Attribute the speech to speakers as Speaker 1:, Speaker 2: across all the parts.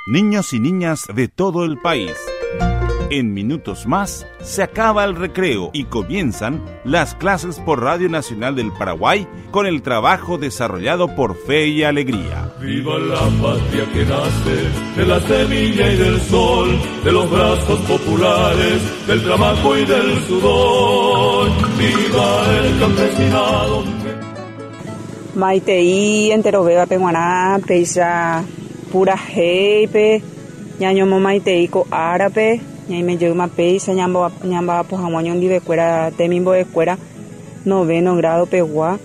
Speaker 1: Niños y niñas de todo el país. En minutos más se acaba el recreo y comienzan las clases por Radio Nacional del Paraguay con el trabajo desarrollado por Fe y Alegría.
Speaker 2: Viva la patria que nace de la semilla y del sol, de los brazos populares, del trabajo y del sudor. Viva el campesinado.
Speaker 3: Maitei enterovévape g̃uarã péicha purahéipe ñañomomaitei ko árape ñaime jeýma péicha ñamba'apo hag̃ua oñondivekuéra temimbo'ekuéra noveno grado pegua.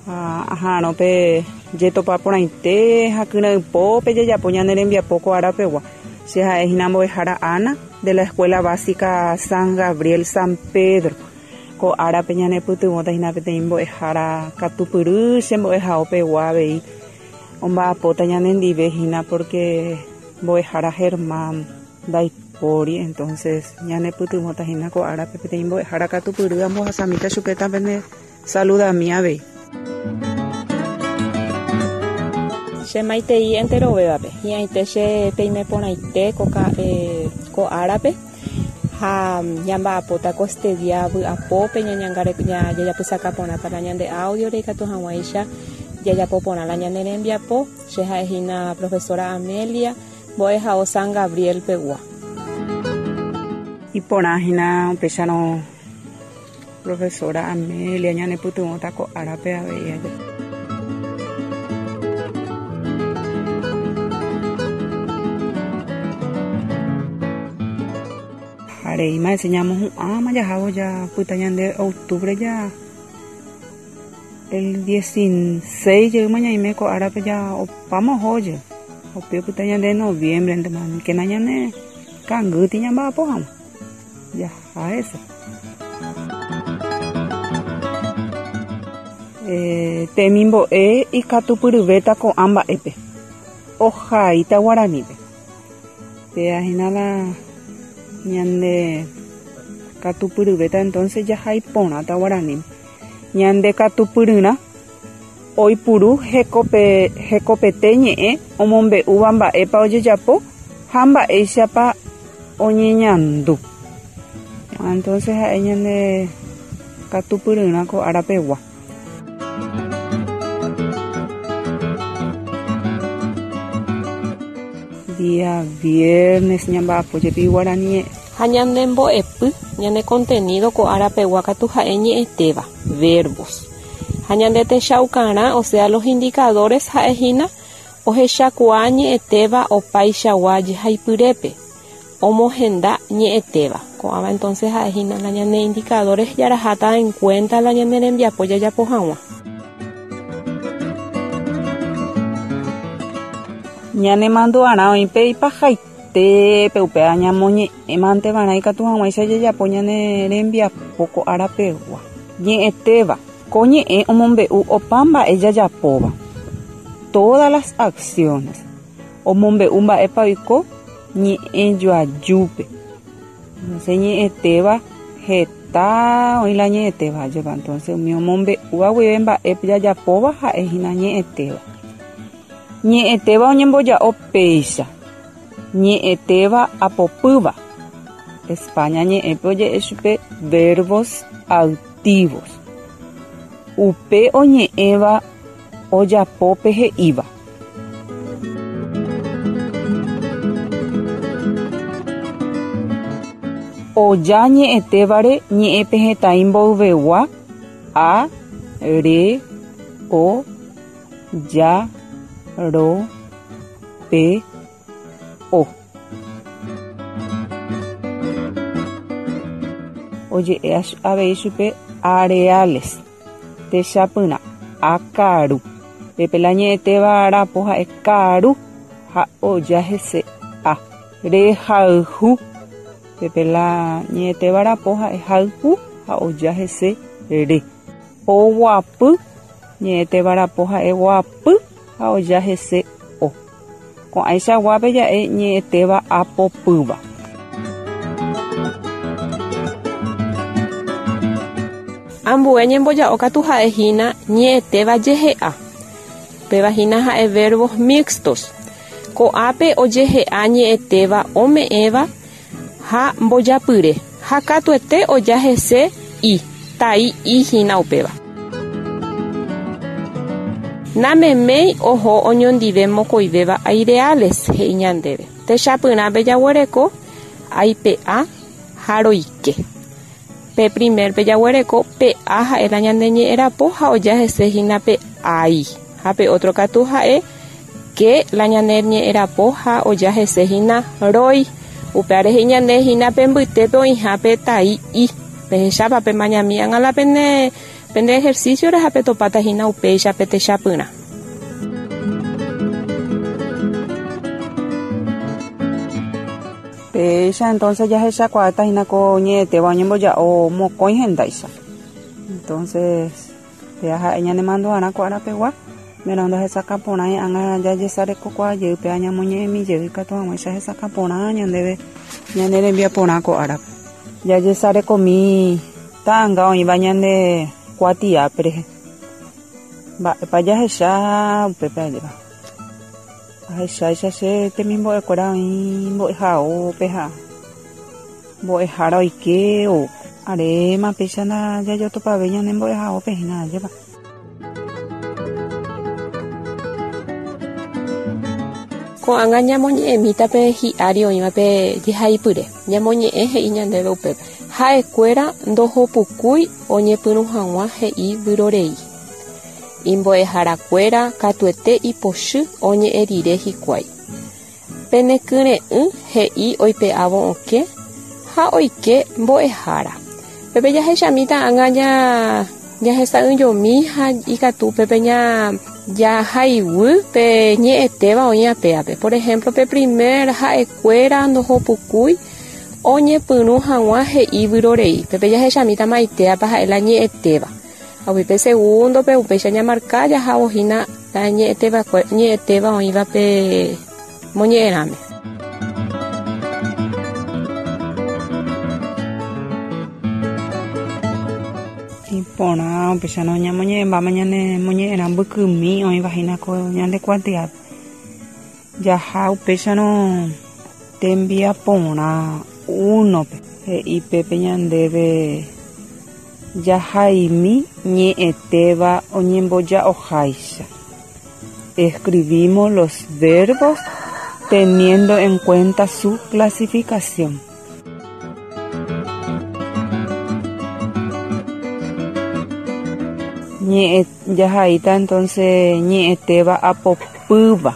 Speaker 3: Ha aha'arõ pe jetopa porãite ha kyre'ỹpópe jajapo ñane rembiapo ko ára pegua. Che ha'e hína mbo'ehára Ana de la Escuela Básica San Gabriel San Pedro. Ko árape ñanepytyvõta hína peteĩ mbo'ehára katupyry che mbo'ehao pegua avei omba'apóta ñanendive hína porque mbo'ehára Germán ndaipóri entonces ñanepytyvõta hína ko árape peteĩ mbo'ehára katupyry ambohasamíta chupe tapene saludami avei.
Speaker 4: Che maitei enterovévape, hi'ãite che peime porãite ko árape ha ñamba'apóta ko este día vy'apópe jajapysaka porãta la ñande audio-re ikatu hag̃uáicha jajapo porã la ñane rembiapo. Che ha'e hína profesora Amelia, mbo'ehao San Gabriel pegua.
Speaker 3: Iporã hína upéicharõ Profesora Amelia ñanepytyvõta ko árape avei aje. Ha reíma hese ñamohu'ãma jahávo japyta ñande octubre ja el 16 jeýma ñaime ko árape ja opáma oho jey. Upe opyta ñande noviembre ntema aníkena ñane kangýti ñamba'apo hag̃ua. Jaha hese. Temimbo'e ikatupyryvéta ko'ã mba'épe. Ohaíta guaranípe. Péa hína la ñande katupyryvéta entonces jahai porãta guaraníme. Ñande katupyryrã oipuru hekope hekopete ñe'ẽ omombe'úva mba'épa ojejapo ha mba'éichapa oñeñandu. Entonces ha'e ñande katupyryrã ko ára pegua. Día viernes ñamba'apo jepi guarani ñe'ẽ.
Speaker 4: Ha ñande mbo'epy, ñane contenido ko ára pegua katu ha'e ñe'ẽtéva, verbos. Ha ñande techaukarã, o sea los indicadores ha'e hína Ohechakuaa ñe'ẽtéva opaichagua jehaipyrépe, omohenda ñe'ẽtéva. Ko'ãva entonces ha'e hína la ñane indicadores jaraháta en cuenta la ñane rembiapo jajapo hag̃ua.
Speaker 3: Ñanemandu'arã oĩ pe ipahaitépe upéva ñamoñe'ẽmante va'erã ikatu hag̃uáicha jajapo ñane rembiapo ko ára pegua. Ñe'ẽtéva. Ko ñe'ẽ omombe'u opa mba'e jajapóva, todas las acciones, omombe'u mba'épa oiko ñe'ẽjoajúpe. Entonces ñe'ẽtéva heta oĩ la ñe'ẽtéva ajépa, entonces umi omombe'úva guive mba'e jajapóva ha'e hína ñe'ẽtéva. Ñe'ẽtéva oñemboja'o péicha, ñe'ẽtéva apopýva, España ñe'ẽpe oje'e chupe verbos activos. Upe oñe'ẽva ojapo pe he'íva. Oja ñe'ẽtévare ñe'ẽpehẽtai mboyvegua a, re, o, ja, ro, pe, o. Oje'e avei chupe areales, techapyrã, akaru. Pépe la ñe'ẽtéva rapo ha'e karu ha oja hese a. Rehayhu. Pépe la ñe'ẽtéva rapo ha'e hayhu ha oja hese re. Oguapy. Ñe'ẽtéva rapo ha'e guapy ha oja hese o. Ko'ãichaguápe ja'e ñe'ẽtéva apopýva.
Speaker 4: Ambue ñemboja'o katu ha'e hína ñe'ẽtéva jehe'a. Upéva hína ha'e verbos mixtos. Ko'ápe ojehe'a ñe'ẽtéva ome'ẽva ha mbojapyre, ha katuete oja hese i, tai i hína upéva. Nameméi oho oñondive mokõivéva aireales, he'i ñandéve. Techapyrãpe jaguereko aipe'a ha roike. Pe primer-pe jaguereko pe'a ha'e la ñande ñe'ẽ rapo ha oja hese hína pe ai. Ha pe ótro katu ha'e ke la ñane ñe'ẽ rapo ha oja hese hína roi. Upévare he'i ñande hína pe mbytépe oĩha pe tai i. Pehechápa pemañami ág̃a la pene pende ejercicio-re ha petopáta hína upéicha pe techapyrã.
Speaker 3: Péicha entonces jahechakuaáta hína ko ñe'ẽtéva oñemboja'o mokõi hendáicha. Entonces, péa ha'e ñanemandu'arã ko arapegua, mérõ ndahesakã porãi ág̃a jajesarekokuaa jey péa ñamoñe'ẽmi jey ikatu hag̃uáicha hesakã porã ñandéve ñane rembiaporã ko árape. Jajesarekomi ta'anga oĩva ñande kuatiápe rehe. Mba'épa jahecha upépe ajépa. Ahecháicha che temimbo'ekuéra oĩ mbo'ehaópe ha mbo'ehára oike ou. Aréma péicha ndajajotopavéi ñane mbo'ehaópe hína, ajépa.
Speaker 4: Ko'ág̃a ñamoñe'ẽmíta pe hi'ári oĩva pe jehaipyre. Ñamoñe'ẽ he'i ñandéve upépe. Ha'ekuéra ndohopukúi oñepyrũ hag̃ua he'i vyrorei. Imbo'eharakuéra katuete ipochy oñe'ẽ rire hikuái. Penekyre'ỹ he'i oipe'ávo okẽ ha oike mbo'ehára. Pépe jahechamíta ág̃a jahesa'ỹijomi ha ikatu pépe jahaiguy pe ñe'ẽtéva oĩ apéape. Por ehémplo, pe primer ha'ekuéra ndohopukúi oñepyrũ hag̃ua he'i vyrorei. Pépe jahechamíta maitéapa ha'e la ñe'ẽtéva. Ha umi pe segúndope upéicha ñamarka jahávo hína la ñe'ẽtéva oĩva pe moñe'ẽrãme.
Speaker 3: Iporã upéicharõ ñamoñe'ẽmbáma ñane moñe'ẽrã mbykymi oĩva hína ko ñande kuatiápe. Jaha upéicharõ tembiaporã únope, he'i pépe ñandéve Jahaimi ñe'ẽtéva oñemboja'oháicha. Escribimos los verbos teniendo en cuenta su clasificación. Ñe'ẽ jahaíta entonces ñe'ẽtéva apopýva,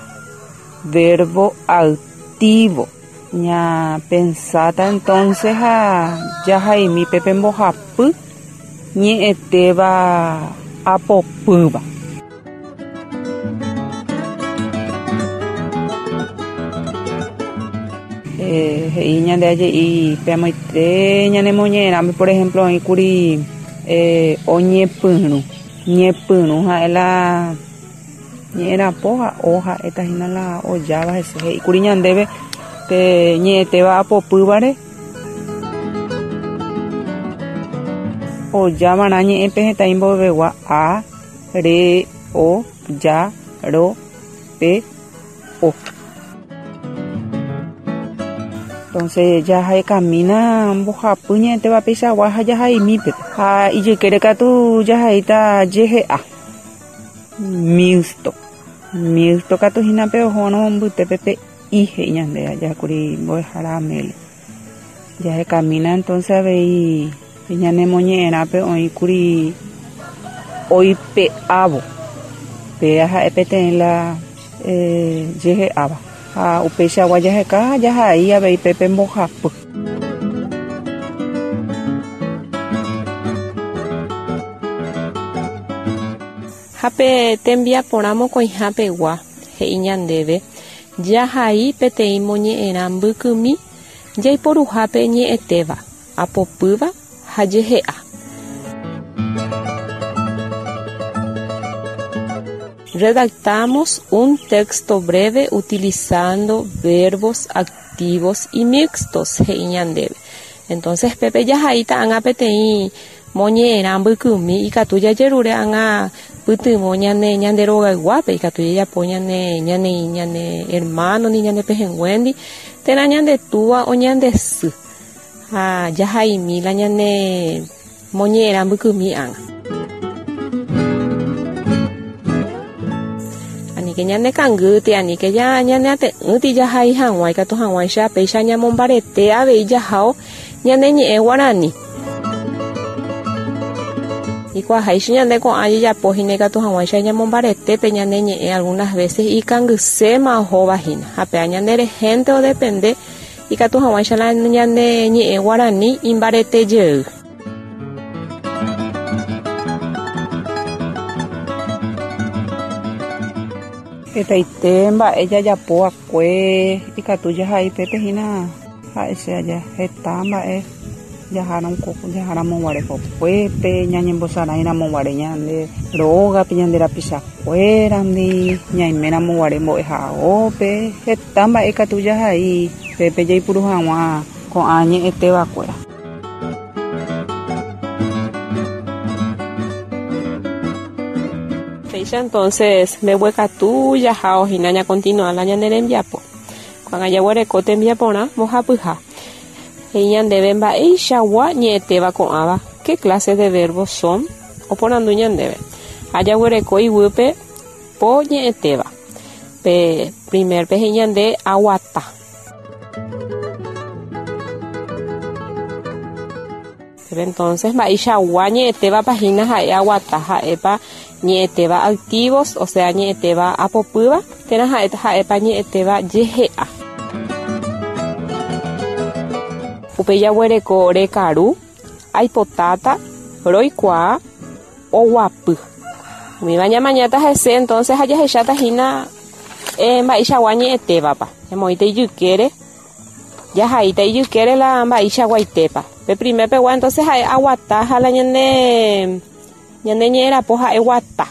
Speaker 3: verbo activo. Ñapensáta entonces ha jahaimi pe pembohapy ñe'ẽtéva apopýva. He'i ñande aje'i pe amoite ñanemoñe'ẽrãme, por ejemplo, oĩkuri oñepyrũ. Ñepyrũ ha'e la Ñe'ẽrapo ha o ha'éta hína la ojáva hese. He'íkuri ñandéve pe ñe'ẽtéva apopývare ojávarã ñe'ẽ pehẽta imboyvegua a, re, o, ja, ro, pe, o. Entonces jahekamína mbohapy ñe'ẽtéva peichagua ha jahaimípe. Ha ijykére katu jahaíta jehe'a. Mixto. Mixto katu hína pe ohórõ mbytépe pe i he'i ñande aja kuri mbo'ehára Amelia. Jahekamína entonces avei ñanemoñe'ẽrãpe oĩ kuri oipe'ávo. Péa ha'e peteĩ la jehe'áva. Ha upeichagua jaheka ha jahai avei pépe mbohapy.
Speaker 4: Ha pe tembiaporã mokõiha pegua, he'i ñandéve, jahai peteĩ moñe'ẽrã mbykymi jaiporuhápe ñe'ẽtéva, apopýva ha jehe'a. Redactamos un texto breve utilizando verbos activos y mixtos, he'i ñandéve. Entonces pépe jahaíta ág̃a peteĩ Moñe'ẽrã mbykymi ikatu jajerure ág̃a pytyvõ ñane ñande rogayguápe, ikatu jajapo ñane ñane ñane hermano-ndi, ñane pehẽnguéndi, térã ñande túva o ñande sy. Ha jahaimi la ñane moñe'ẽrã mbykymi ág̃a. Aníke ñane kangýti, aníke ñaneate'ỹti jahai hag̃ua ikatu hag̃uáicha péicha ñamombarete avei jahao ñane ñe'ẽ guarani. Ikuaaháicha ñande ko'ã jejapo hína ikatu hag̃uáicha ñamombarete pe ñane ñe'ẽ algunas veces ikangyséma ohóva hína ha péva ñande rehénte odepende ikatu hag̃uáicha la ñane ñe'ẽ guarani imbarete jey.
Speaker 3: Hetaite mba'e jajapo va'ekue ikatu jahai pépe hína ha'e che aja heta mba'e jaháramo guare kokuépe, ñañembosarãiramo guare ñande rógape, ñande rapichakuérandi, ñaiméramo guare mbo'ehaópe, heta mba'e ikatu jahai pépe jaipuru hag̃ua ko'ã ñe'ẽtevakuéra.
Speaker 4: Péicha entonces mbeguekatu jahao hína ñakontinua la ñane rembiapo. Ko'ág̃a jaguereko tembiaporã mbohapyha. He'i ñandéve mba'eichagua ñe'ẽtéva ko'ãva, qué clase de verbos son? Oporandu ñandéve. Ha jaguereko iguýpe po ñe'ẽtéva. Pe primer-pe he'i ñande aguata. Pero entonces mba'eichagua ñe'ẽtévapa hína ha'e aguata, ha'épa ñe'ẽtéva activos, o sea ñe'ẽtéva apopýva, térã ha'épa ñe'ẽtéva jehe'a. Upéi jaguereko rekaru, aipotáta, roikuaa, oguapy. Umíva ñamañáta hese entonces ha jahecháta hína mba'eichagua ñe'ẽtévapa. Ñamoĩta ijykére, jahaíta ijykére la mba'eichaguaitépa. Pe primer pegua entonces ha'e aguata ha la ñane ñane ñe'ẽrapo ha'e guata.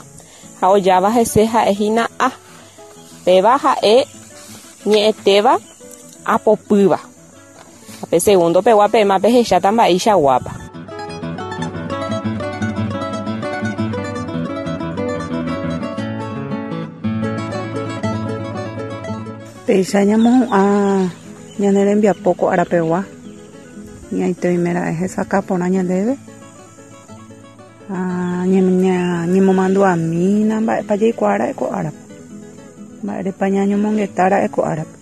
Speaker 4: Ha ojáva hese ha'e hína a. Péva ha'e ñe'ẽtéva apopýva. Ha pe segundo pegua peẽma pehecháta mba'eichaguápa.
Speaker 3: Péicha ñamohu'ã ñane rembiapo ko árapegua, ñaite oiméra'e hesakã porã ñandéve ha ñañemomandu'amína mba'épa jaikuaára'e ko árape, mba'érepa ñañomongetára'e ko árape.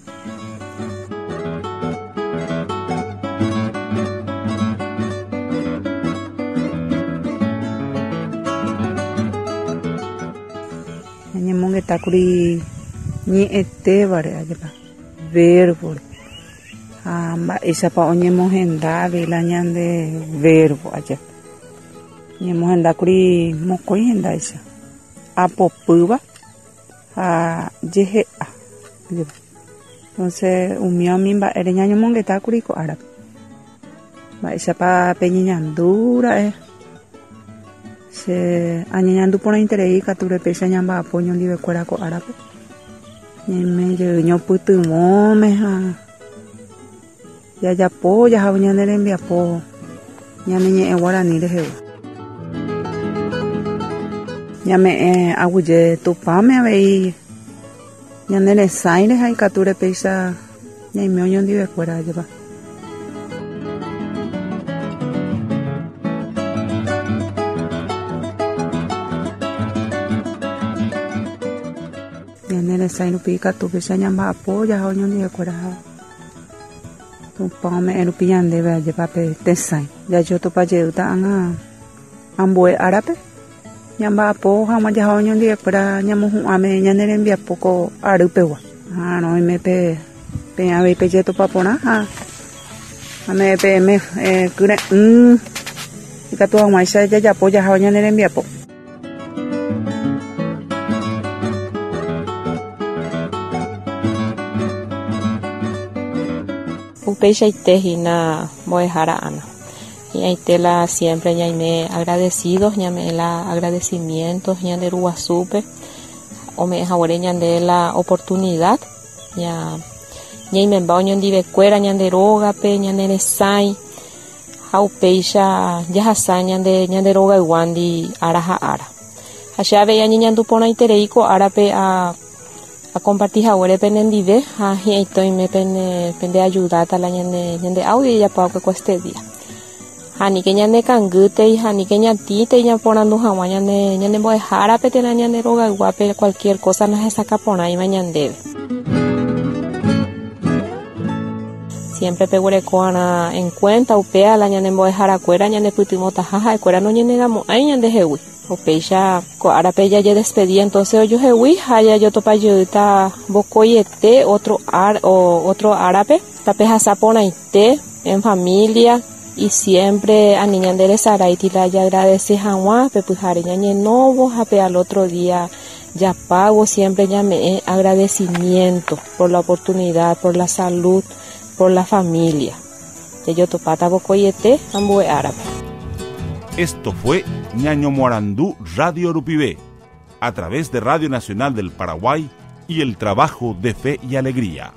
Speaker 3: Ñañemongetákuri ñe'ẽtévare ajépa, verbo-re, ha mba'éichapa oñemohenda avei la ñande verbo aja. Ñamohendákuri mokõi hendáicha, apopýva ha jehe'a. Entonces umi umi mba'ére ñañomongetákuri ko árape. Mba'éichapa peñeñandu ra'e? Che añeñandu porãiterei katu péicha ñamba'apo oñondivekuéra ko árape. Ñaime jey ñopytyvõme ha jajapo jahávo ñane rembiapo ñane ñe'ẽ guarani rehegua. Ñame'ẽ aguyje Tupãme avei ñane resãire ha ikatúre péicha ñaime oñondivekuéra ajépa. Ñane resãi rupi ikatu péicha ñamba'apo jaha oñondivekuéra ha Tupã ome'ẽ rupi ñandéve ajépa pe tesãi. Jajotopa jeýta ág̃a ambue árape ñamba'apo hag̃ua jaha oñondivekuéra ñamohu'ãme ñane rembiapo ko ary pegua. Ha roime pe peẽ avei pejetopa porã ha ame'ẽ peẽme kyre'ỹ ikatu hag̃uáicha jajapo jaha ñane rembiapo.
Speaker 4: Upeichaite hína mbo'ehára Ana. Hi'ãite la siempre ñaime agradecidos, ñame'ẽ la agradecimientos ñande Ruguasúpe, ome'ẽ haguére ñande la oportunidad ña ñaimemba oñondivekuéra ñande rógape, ñane resãi. Ha upéicha jahasa ñande ñande rogayguándi ára ha ára. Ha che avei añeñandu porãiterei ko árape a akomparti haguére penendive ha hi'ãite oime pene pende ayudáta la ñane ñande audio jajapo va'ekue ko este día. Ha aníke ñane kangýtei ha aníke ñatĩtei ñaporandu hag̃ua ñane ñane mbo'ehárape térã ñande rogayguápe cualquier cosa nahesakã porãiva ñandéve. Siempre peguereko'arã en cuenta upéva la ñane mbo'eharakuéra ñanepytyvõtaha ha'ekuéra noñenegamo'ãi ñandehegui. Upéicha ko árape jajedespedi entonces ojuhegui ha jajotopa jeýta vokoiete otro ar otro árape tapehasa porãite en familia y siempre ani ñande resaráiti la jagradece hag̃ua pe pyhare ñañenóvo ha pe al otro día japávo siempre ñame'ẽ agradecimiento por la oportunidad, por la salud, por la familia. Jajotopáta vokoiete ambue árape.
Speaker 1: Esto fue Ñañomoarandu Radio Rupive, a través de Radio Nacional del Paraguay y el trabajo de Fe y Alegría.